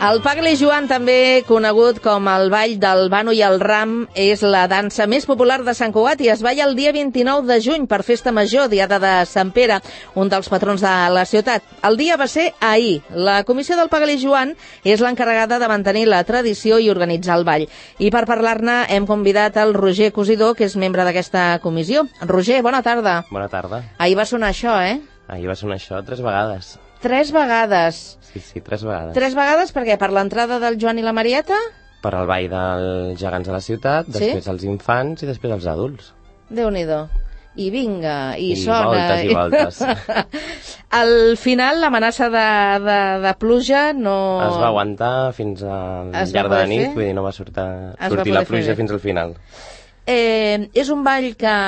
El Pagle Joan, també conegut com el ball del Bano i el Ram, és la dansa més popular de Sant Cugat i es balla el dia 29 de juny per Festa Major, diada de Sant Pere, un dels patrons de la ciutat. El dia va ser ahir. La comissió del Pagle Joan és l'encarregada de mantenir la tradició i organitzar el ball. I per parlar-ne hem convidat el Roger Cosidor, que és membre d'aquesta comissió. Roger, bona tarda. Bona tarda. Ahir va sonar això, eh? Ahir va sonar això 3 vegades. 3 vegades. Sí, 3 vegades. 3 vegades per què? Per l'entrada del Joan i la Marieta? Per al ball dels gegants de la ciutat, després els infants i després els adults. Déu-n'hi-do. I vinga, i sona. I voltes. Al final, l'amenaça de pluja no... Es va aguantar fins al llarg de la nit, vull dir, no va sortir la pluja fins al final. És un ball que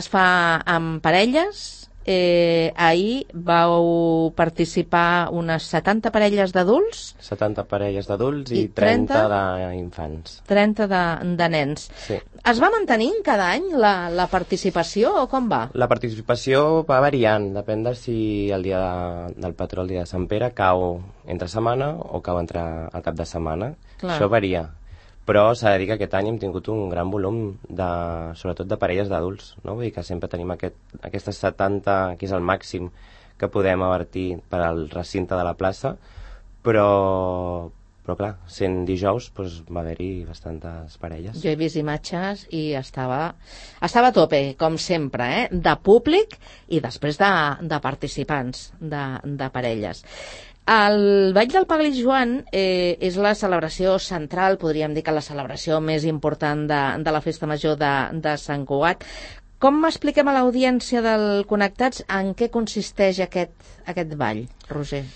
es fa amb parelles. Ahir vau participar unes 70 parelles d'adults. 70 parelles d'adults i 30 d'infants. 30 de nens. Sí. Es va mantenint cada any la participació o com va? La participació va variant, depèn de si el dia del patró, el dia de Sant Pere, cau entre setmana o cau entre el cap de setmana. Clar. Això varia. Però s'ha de dir que aquest any hem tingut un gran volum, sobretot de parelles d'adults, no? Vull dir que sempre tenim aquestes 70, que és el màxim que podem avertir per al recinte de la plaça, però clar, sent dijous va haver-hi bastantes parelles. Jo he vist imatges i estava a tope, com sempre, de públic i després de participants, de parelles. El ball del Pagle Joan és la celebració central, podríem dir que la celebració més important de la Festa Major de Sant Cugat. Com expliquem a l'audiència del Connectats en què consisteix aquest ball, Roger?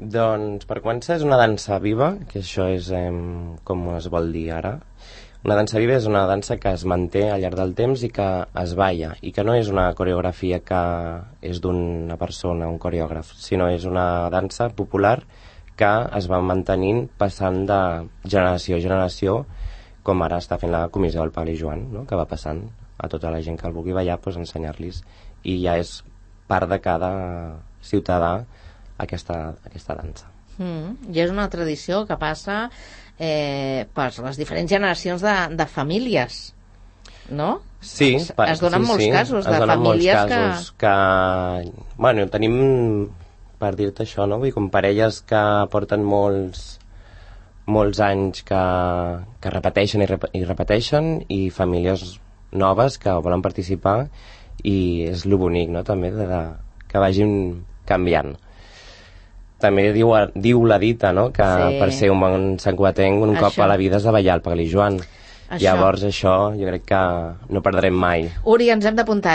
Doncs, per començar, és una dansa viva, que això és com es vol dir ara. Una dansa viva és una dansa que es manté al llarg del temps i que es balla, i que no és una coreografia que és d'una persona, un coreògraf, sinó és una dansa popular que es va mantenint passant de generació a generació, com ara està fent la comissió del Pagle Joan, no? Que va passant a tota la gent que el vulgui ballar, ensenyar-los, i ja és part de cada ciutadà aquesta dansa. I és una tradició que passa per les diferents generacions de famílies, no? Sí. Es donen molts casos de famílies que... Bueno, tenim, per dir-te això, no? Vull dir, com parelles que porten molts anys que repeteixen i repeteixen, i famílies noves que volen participar, i és lo bonic, no?, també, que vagin canviant. També diu la dita, no?, que per ser un bon santcugatenc un cop a la vida has de ballar el Pagle Joan. Llavors això jo crec que no perdrem mai. Uri, ens hem d'apuntar,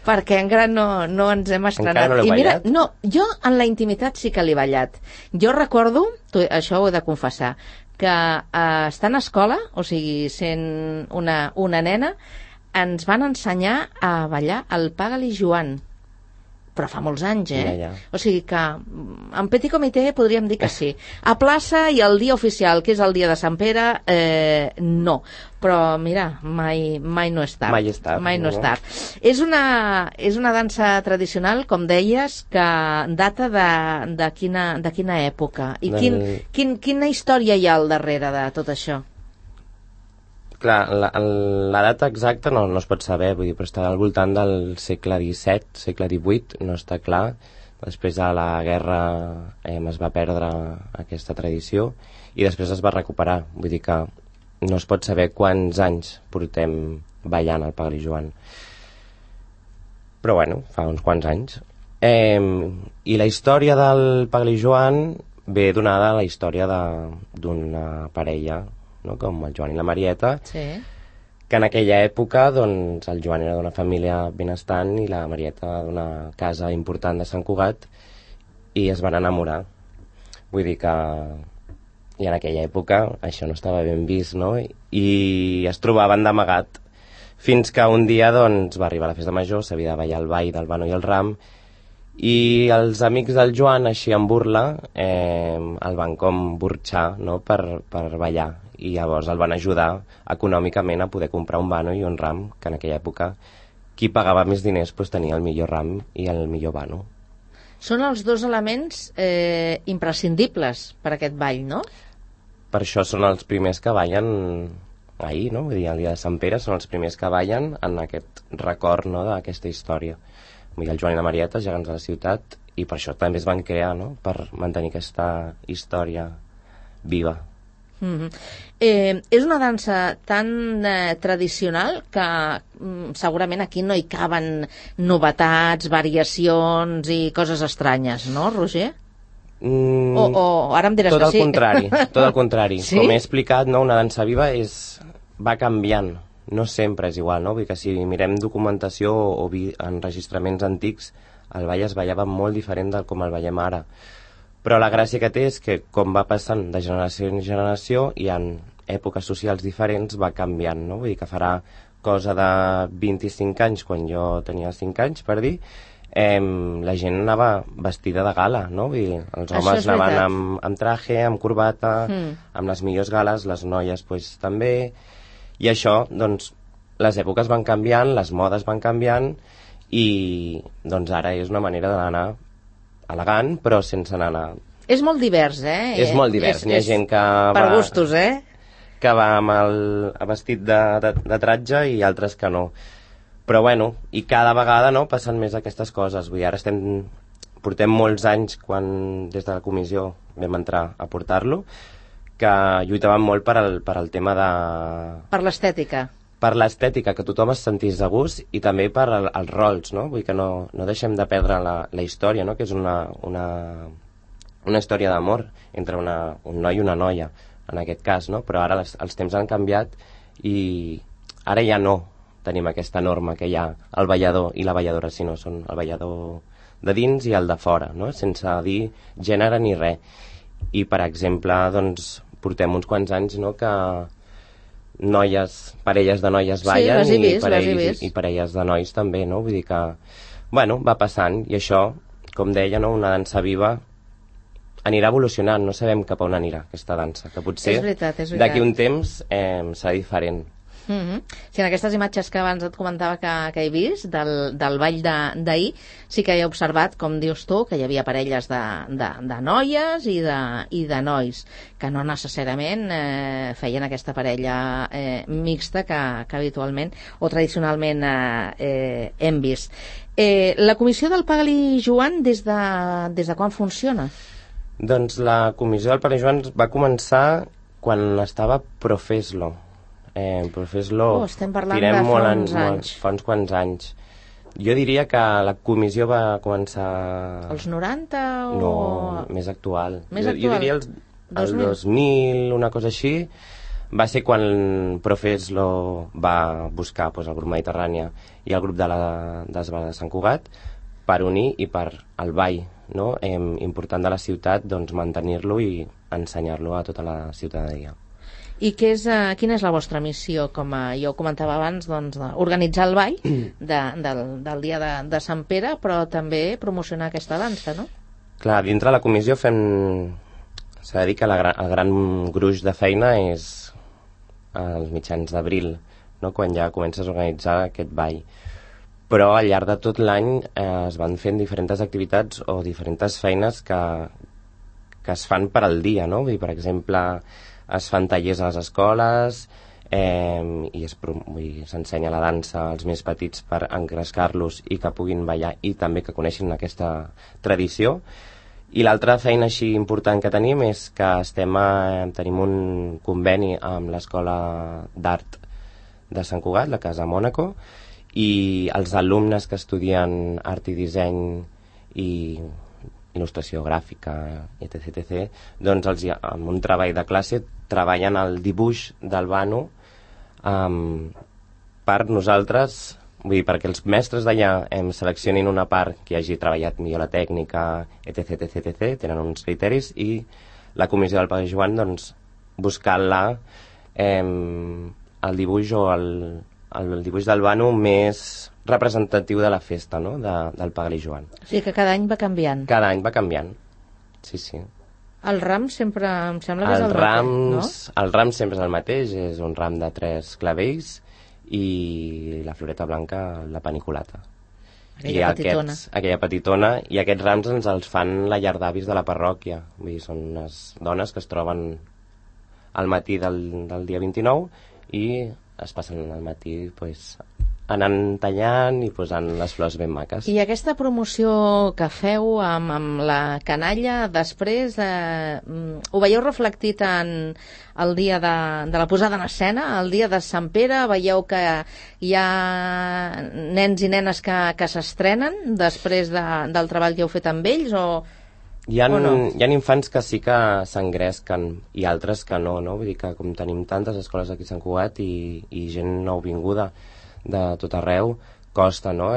perquè encara no ens hem estrenat. Encara no l'heu ballat? No, jo en la intimitat sí que l'he ballat. Jo recordo, això ho he de confessar, que estant a escola, o sigui, sent una nena, ens van ensenyar a ballar el Pagle Joan. Però fa molts anys, Ja. O sigui que en petit comitè podríem dir que sí. A plaça i el dia oficial, que és el dia de Sant Pere, no. Però mira, mai no és tard. Mai és tard. Mai no és tard. És una dansa tradicional, com deies, que data de quina època? I quina història hi ha al darrere de tot això? Clar, la data exacta no es pot saber, vull dir, però està al voltant del segle XVII, segle XVIII, no està clar. Després de la guerra es va perdre aquesta tradició i després es va recuperar. Vull dir que no es pot saber quants anys portem ballant el Pagle Joan. Però bueno, fa uns quants anys. I la història del Pagle Joan ve donada a la història d'una parella, no?, com el Joan i la Marieta, que en aquella època doncs, el Joan era d'una família benestant i la Marieta d'una casa important de Sant Cugat, i es van enamorar. Vull dir que i en aquella època això no estava ben vist, no?, i es trobaven d'amagat, fins que un dia doncs, va arribar la Festa Major, s'havia de ballar el ball del Bano i el Ram, i els amics del Joan, així en burla, el van com burxar, no?, per ballar, i llavors el van ajudar econòmicament a poder comprar un Bano i un Ram, que en aquella època qui pagava més diners tenia el millor Ram i el millor Bano. Són els dos elements imprescindibles per a aquest ball, no? Per això són els primers que ballen ahir, no? Vull dir, el dia de Sant Pere són els primers que ballen en aquest record, no?, d'aquesta història. Vull dir, el Joan i la Marieta, gegants de la ciutat, i per això també es van crear, no?, per mantenir aquesta història viva. És una dansa tan tradicional que segurament aquí no hi caben novetats, variacions i coses estranyes, no, Roger? O ara em diràs que sí. Tot el contrari. Sí? Com he explicat, no, una dansa viva va canviant, no sempre és igual, no? Vull dir que si mirem documentació o enregistraments antics, el ball es ballava molt diferent del com el ballem ara. Però la gràcia que té és que, com va passant de generació en generació i en èpoques socials diferents, va canviant, no? Vull dir que farà cosa de 25 anys, quan jo tenia 5 anys, per dir, la gent anava vestida de gala, no? Vull dir, els homes anaven amb traje, amb corbata, amb les millors gales, les noies pues, també, i això, doncs, les èpoques van canviant, les modes van canviant, i doncs ara és una manera d'anar elegant, però sense anar... És molt divers, eh? És molt divers. N'hi ha gent que per gustos, eh? Que va amb el vestit de tratge i altres que no. Però bueno, i cada vegada no passen més aquestes coses. Vull dir, ara portem molts anys, quan des de la comissió vam entrar a portar-lo, que lluitàvem molt per al tema de... Per l'estètica. Per l'estètica, que tothom es sentís de gust, i també per als rols, no? Vull dir que no deixem de perdre la història, no? Que és una història d'amor entre un noi i una noia, en aquest cas, no? Però ara els temps han canviat i ara ja no tenim aquesta norma que hi ha el ballador i la balladora, sinó són el ballador de dins i el de fora, no? Sense dir gènere ni res. I, per exemple, doncs, portem uns quants anys, no?, que parelles de noies ballen, sí, i parelles de nois també, no? Vull dir que, bueno, va passant, i això, com deia, no?, una dansa viva anirà evolucionant, no sabem cap a on anirà aquesta dansa, que potser d'aquí un temps serà diferent. Sí, en aquestes imatges que abans et comentava que he vist del ball d'ahir, sí que he observat, com dius tu, que hi havia parelles de noies i de nois, que no necessàriament feien aquesta parella mixta que habitualment o tradicionalment hem vist. La comissió del Pagli Joan des de quan funciona? Doncs la comissió del Pagli Joan va començar quan estava Profeslo. Estem parlant fa uns quants anys. Jo diria que la comissió va començar... Els 90 o...? No, més actual. Jo diria el 2000, una cosa així. Va ser quan Profeslo va buscar el grup Mediterrània i el grup de l'Esbala de Sant Cugat per unir i per el ball, no? Important de la ciutat, doncs mantenir-lo i ensenyar-lo a tota la ciutadania. I quina és la vostra missió? Com jo comentava abans, doncs, organitzar el ball del dia de Sant Pere, però també promocionar aquesta dansa, no? Clar, dintre la comissió s'ha de dir que el gran gruix de feina és als mitjans d'abril, no?, quan ja comences a organitzar aquest ball. Però al llarg de tot l'any es van fent diferents activitats o diferents feines que es fan per al dia, no? Per exemple, es fan tallers a les escoles i s'ensenya la dansa als més petits per engrescar-los i que puguin ballar i també que coneixin aquesta tradició. I l'altra feina així important que tenim és que tenim un conveni amb l'Escola d'Art de Sant Cugat, la Casa Mònaco, i els alumnes que estudien art i disseny i il·lustració gràfica, etc., doncs amb un treball de classe treballen el dibuix del vano per nosaltres, vull dir, perquè els mestres d'allà seleccionin una part que hagi treballat millor la tècnica, etc., tenen uns criteris, i la comissió del Pagli Joan, doncs, buscant-la el dibuix o el dibuix del vano més representatiu de la festa, no?, del Pagli Joan. O sigui que cada any va canviant. Cada any va canviant, sí. El ram sempre em sembla que és el mateix, no? El ram sempre és el mateix, és un ram de 3 clavells i la floreta blanca, la paniculata. aquella petitona, i aquests rams ens els fan la llar d'avis de la parròquia. Vull dir, són unes dones que es troben al matí del dia 29 i es passen al matí anant tallant i posant les flors ben maques. I aquesta promoció que feu amb la canalla, després ho veieu reflectit en el dia de la posada en escena, el dia de Sant Pere? Veieu que hi ha nens i nenes que s'estrenen després del treball que heu fet amb ells, o no? Hi ha infants que sí que s'engresquen i altres que no? Vull dir que com tenim tantes escoles aquí a Sant Cugat i gent nouvinguda de tot arreu, costa, no?,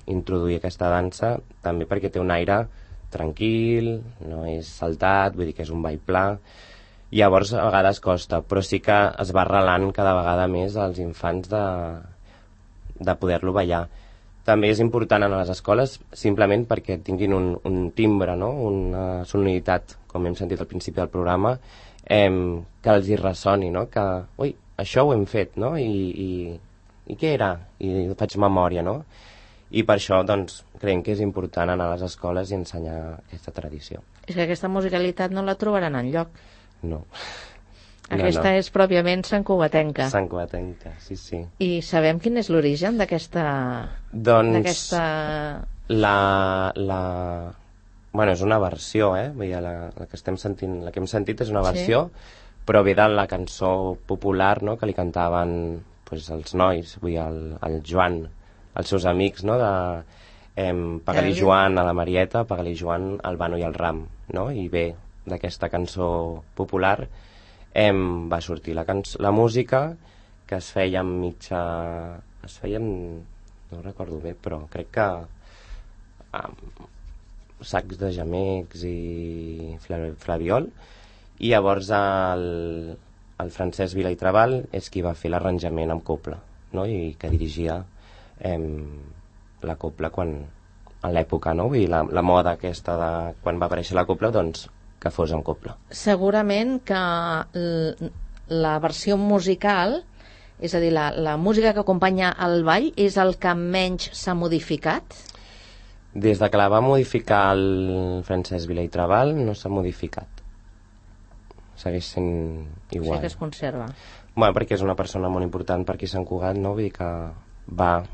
introduir aquesta dansa, també perquè té un aire tranquil, no és saltat, vull dir que és un ball pla, i llavors a vegades costa, però sí que es va arrelant cada vegada més als infants de poder-lo ballar. També és important en les escoles simplement perquè tinguin un timbre, no?, una sonoritat, com hem sentit al principi del programa, que els hi ressoni, no?, que, ui, això ho hem fet, no?, i què era? I faig memòria, no? I per això, doncs, creiem que és important anar a les escoles i ensenyar aquesta tradició. És que aquesta musicalitat no la trobaran enlloc. No. Aquesta és pròpiament santcugatenca. Santcugatenca, sí, sí. I sabem quin és l'origen d'aquesta... Doncs... Bueno, és una versió, Vull dir, la que estem sentint, la que hem sentit és una versió, però ve de la cançó popular, no?, que li cantaven els nois, vull dir, el Joan, els seus amics, no?, Paga-li Joan a la Marieta, Paga-li Joan al Bano i al Ram, no?, i bé, d'aquesta cançó popular va sortir la música, que es feia no recordo bé, però crec que sacs de gemecs i flabiol, i llavors el Francesc Vila i Trabal és qui va fer l'arranjament amb copla, no?, i que dirigia la copla en l'època, no?, vull dir, la moda aquesta de quan va aparèixer la copla, doncs que fos amb copla. Segurament que la versió musical, és a dir, la música que acompanya el ball, és el que menys s'ha modificat? Des de que la va modificar el Francesc Vila i Trabal no s'ha modificat. Segueix sent igual. Sí que es conserva. Bueno, perquè és una persona molt important per aquí a Sant Cugat, no? Vull dir que va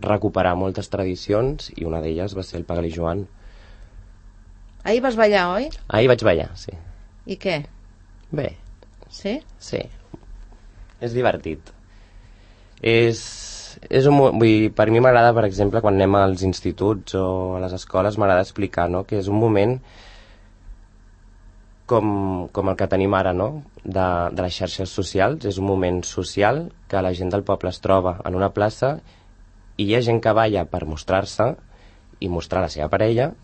recuperar moltes tradicions i una d'elles va ser el Paga-li Joan. Ahir vas ballar, oi? Ahir vaig ballar, sí. I què? Bé. Sí? Sí. És divertit. Vull dir, per mi m'agrada, per exemple, quan anem als instituts o a les escoles, m'agrada explicar, no?, que és un moment com el que tenim ara, no?, de les xarxes socials. És un moment social que la gent del poble es troba en una plaça i hi ha gent que balla per mostrar-se i mostrar la seva parella,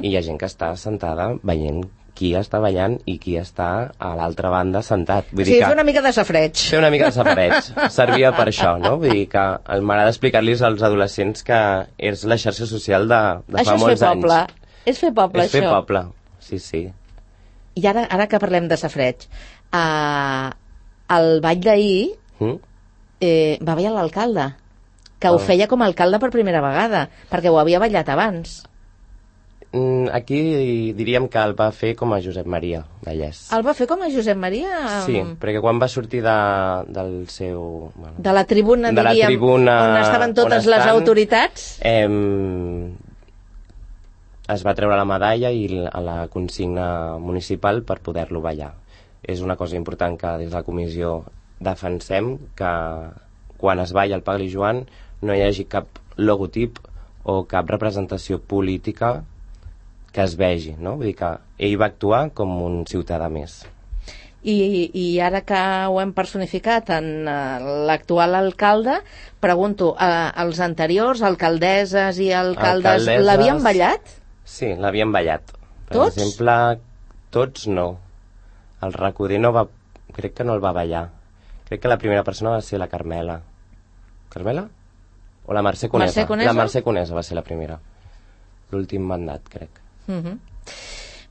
i hi ha gent que està sentada veient qui està ballant i qui està a l'altra banda sentat. Vull dir que fer una mica de safareig. Fer una mica de safareig. Servia per això, no? Vull dir que m'agrada explicar-los als adolescents que és la xarxa social de fa molts anys. És fer poble, això. És fer poble, sí, sí. I ara que parlem de safareig, el ball d'ahir va ballar l'alcalde, que ho feia com a alcalde per primera vegada, perquè ho havia ballat abans. Aquí diríem que el va fer com a Josep Maria Vallès. El va fer com a Josep Maria? Sí, perquè quan va sortir del seu... Bueno, de la tribuna, diríem, on estaven totes les autoritats? Es va treure la medalla i a la consigna municipal per poder-lo ballar. És una cosa important que des de la comissió defensem, que quan es balla el Paga-li Joan no hi hagi cap logotip o cap representació política que es vegi, no? Vull dir que ell va actuar com un ciutadà més. I ara que ho hem personificat en l'actual alcalde, pregunto, els anteriors, alcaldesses i alcaldes, l'havien ballat? Sí, l'havien ballat. Per Tots? exemple, tots no. El Recoder crec que no el va ballar. Crec que la primera persona va ser la Carmela. Carmela? O la Mercè Conesa? Mercè Conesa? La Mercè Conesa va ser la primera. L'últim mandat, crec.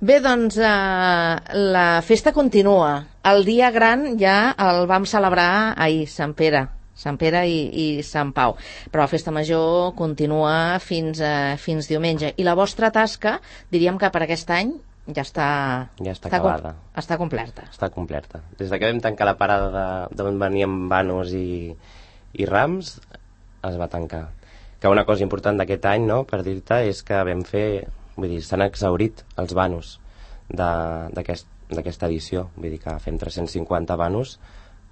Bé, doncs la festa continua. El dia gran ja el vam celebrar ahir, Sant Pere. Sant Pere i Sant Pau. Però la festa major continua fins diumenge. I la vostra tasca, diríem que per aquest any ja està acabada. Està completa. Està completa. Des que vam tancar la parada d'on veníem vanos i rams, es va tancar. Que una cosa important d'aquest any, no?, per dir-te, és que vam fer... Vull dir, s'han exhaurit els vanos d'aquesta edició. Vull dir que fem 350 vanos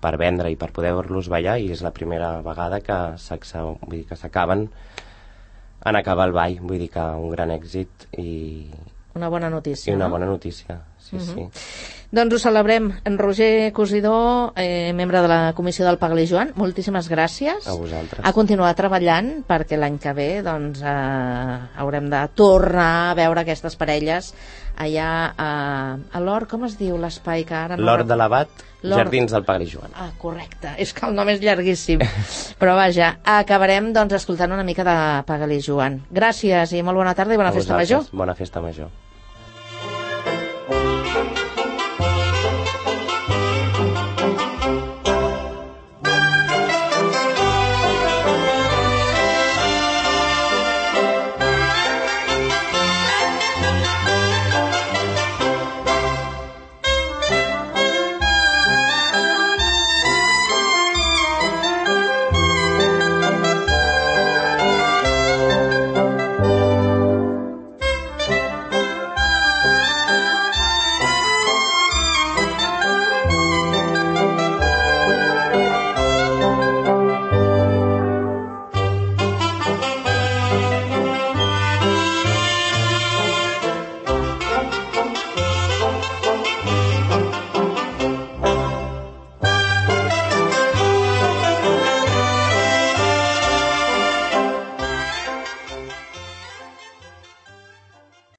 per vendre i per poder-los ballar, i és la primera vegada que s'acaben en acabar el ball. Vull dir que un gran èxit i una bona notícia. I una bona notícia, sí, sí. Doncs ho celebrem. En Roger Cosidó, membre de la comissió del Pagli Joan, moltíssimes gràcies. A vosaltres. A continuar treballant, perquè l'any que ve doncs, haurem de tornar a veure aquestes parelles allà a l'Hort, com es diu l'espai que ara no... L'Hort de l'Abat, Jardins del Pagli Joan. Ah, correcte, és que el nom és llarguíssim. Però vaja, acabarem doncs escoltant una mica de Pagli Joan. Gràcies i molt bona tarda i bona festa major. Bona festa major.